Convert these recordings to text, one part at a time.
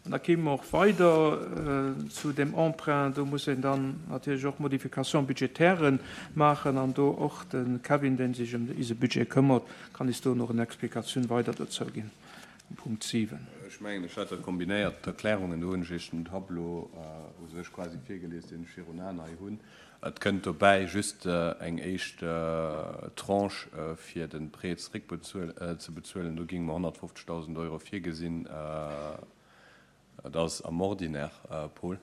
An da kéime mer och weider zu dem Emprunt. Do muss een dann natierlech och Modifications budgétairen maachen. An do och de Kevin, dee sech ëm ise Budget këmmert, kann is do nach en Explikatioun weider dozou ginn um Punkt 7. Ech mengen, ech hat dat kombinéiert, d'Erklärungen. Do hunn ech Iech den Tableau u sech quasi virgelies, deen ech virun Aen hei hunn. Et kënnt dobäi just eng éischt Tranche fir de Prêt zeréckzebezuelen. Do géinge mer 150.000 Euro virgesinn. Dat ass am Ordinaire, Paul.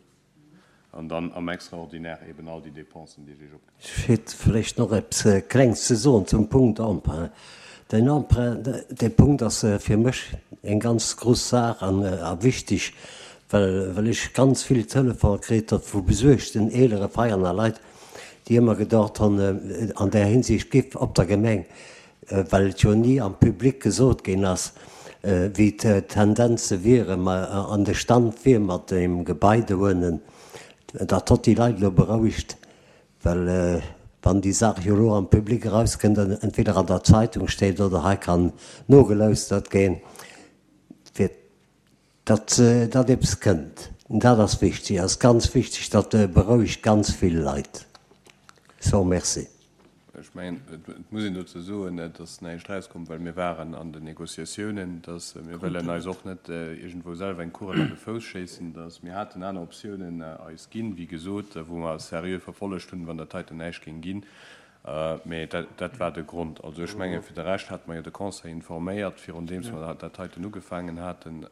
An dann am Extraordinaire eben all déi Dépensen, déi ech Iech opgezielt hunn. Ech hätt vläicht nach eppes Klengs ze soen zum Punkt Emprunt. Den Emprunt, dee Punkt ass fir mech eng ganz grouss Saach a wichteg, well well ech ganz vill Telefone kritt hat vu besuergten eelere Veianer Leit, déi ëmmer gedacht hunn, an där Hinsicht giff op der Gemeng, well et jo ni am Public gesot ginn ass, wéi d'Tendenze wieren, an de Stand wier mat deem Gebai dohuenen, dat hott déi Leit elo berouegt, well wann déi Saach jo elo am Public erauskënnt an entweder an der Zeitung steet oder hei kann nogelauschtert ginn, fir Datt datt eppes kënnt, dat ass wichtig, ass ganz wichtig, dat berouegt ganz vill Leit. So, merci. Ech mengen, et muss een dozou soen, et ass näischt erauskomm, well mir waren an den Négociatiounen, dass mir wëllen eis och net iergendwou selwer eng Kugel an de Fouss schéissen, dass mir haten aner Optiounen eis ginn, wéi gesot, wou mer seriö verfollegt hunn, wann dat heiten näischt géing ginn. Mee dat war de Grond. Also ech mengen, fir de Rescht hate mer jo de Conseil informéiert, virun deems mer dat heiten ugefaangen haten.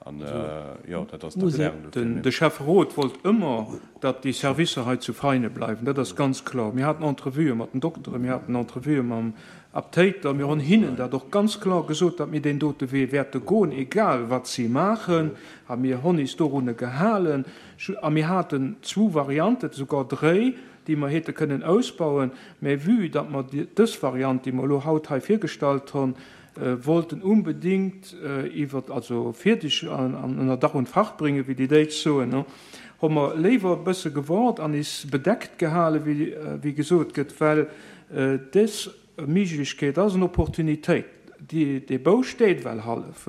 An jo, dat ass d'Erklärung dofir. De Schäfferot wollt ëmmer, datt déi Servicer hei zu Veine bleiwen. Dat ass ganz kloer. Mir haten Entrevuë mat den Dokteren, mir haten Entrevuë mam Aptéiter. Mir hunn hinnen dat och ganz kloer gesot, datt mir deen dote Wee wäerte goen, egal wat si maachen. A mir hunn is dorunner gehalen. A mir haten zwou Varianten, souguer dréi, déi mer hätte kënnen ausbauen, mä vue datt mer dës Variant, déi mer elo haut hei virgestallt hunn, wollten unbedingt iwwer, also fierdeg an ënner Dach und Fach bringen, wéi déi Déitsch soen, hu mer léiwer e bësse gewart an is bedeckt gehalen, wéi gesot gëtt, well dës Méiglechkeet ass en Opportunitéit. Dee Bau steet well hallef.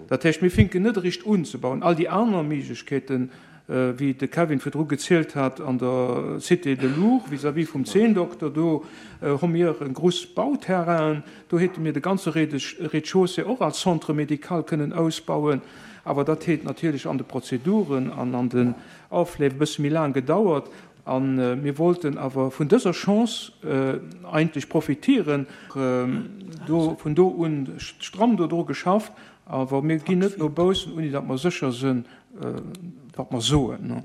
Dat heescht, mir finken net eréischt un ze bauen. All déi aner Méiglechkeeten, wéi de Kevin virdru gezielt hat, an der Cité de Lourdes vis-à-vis vum Zeendokter, do hu mir e gruss Bauterrain. Do hätte mir de ganze Rez-de-chaussée och als Centre médical kënnen ausbauen. Awer dat hätt natierlech an de Prozeduren an an den Aufleef e bësse méi laang gedauert. A mir wollten awer vun dëser Chance eigentlech profitieren. Do, vun do un stramm do dru geschafft. Awer mir ginn net no baussen, ouni datt mer sécher sinn, wat mer soen.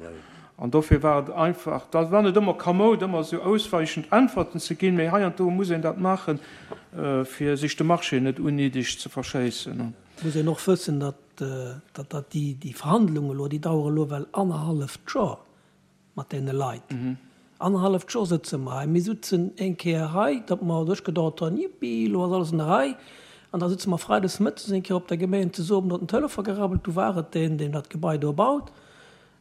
An dofir war et einfach, dat war net ëmmer kamoud, ëmmer esou ausweichend Äntwerten ze ginn, mee heiansdo muss een dat maachen, fir sech de Marché net unnéideg ze verschéissen. Et muss een och wëssen, datt, datt déi Verhandlungen elo, déi dauere elo well annerhalleft Joer. Mat deene Leit. Annerhalleft Joer sëtze mer hei. Mir sutzen eng Kéier hei, datt mer duerch gedauert hunn, Jippi, elo ass alles an der Rei. An da sëtze mer freides mëttes eng Kéier op der Gemeng zesummen, do huet den Telefon gerabbelt, du war et deen, deen dat Gebai do baut.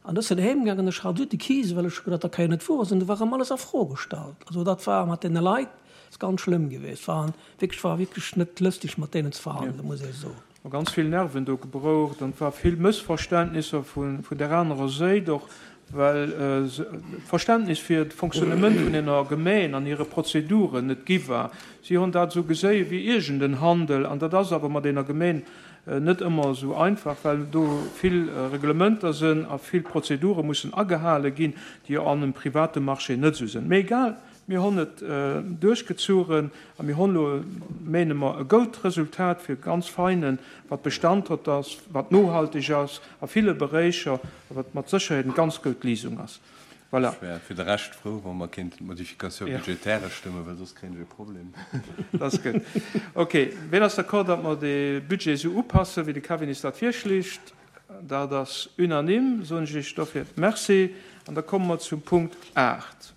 An ech sinn heem gaangen, ech hat esou de Kis, well ech hu geduet, dat ka jo net wuer sinn. Do war erëm alles a Fro gestallt. Also dat war mat deene Leit, ass ganz schlëmm gewiescht. War wierklech, war wierklech net lëstig mat deenen ze verhandelen, muss ee soen. Hu ganz vill Nerven do gebroucht an et war vill Mëssverständnisser vun där anerer Séit och, well d'Verständnis fir d'Fonctionnement vun enger Gemeen an hire Prozeduren net gi war. Si hunn dat esou geséie wéi iergend en Handel an dat ass awer mat enger Gemeen net ëmmer esou einfach, well do vill Reglementer sinn a vill Prozedure mussen agehale ginn, déi jo an engem private Marché net esou sinn. Mee egal, Mir honn et duerchgezuchen a mir honn elo, mene mer, e goud Resultat fir ganz Veinen, wat Bestand hott ass, wat nohalteg ass a ville Beréicher a wat mat Sécherheet en ganz goud Lisung ass. Voilà. Ech wär fir de Rescht frou, wa mer kéinten d'Modification budgétaire stëmmen, well soss kréien ech e Problem. Dat ass gutt. Ok. Wien ass d'accord, datt mer dee Budget esou upassen, wéi de Kevin is dat virschléigt? Dat ass unanime, soen ech Iech dofir Merci. An da komme mer zum Punkt 8.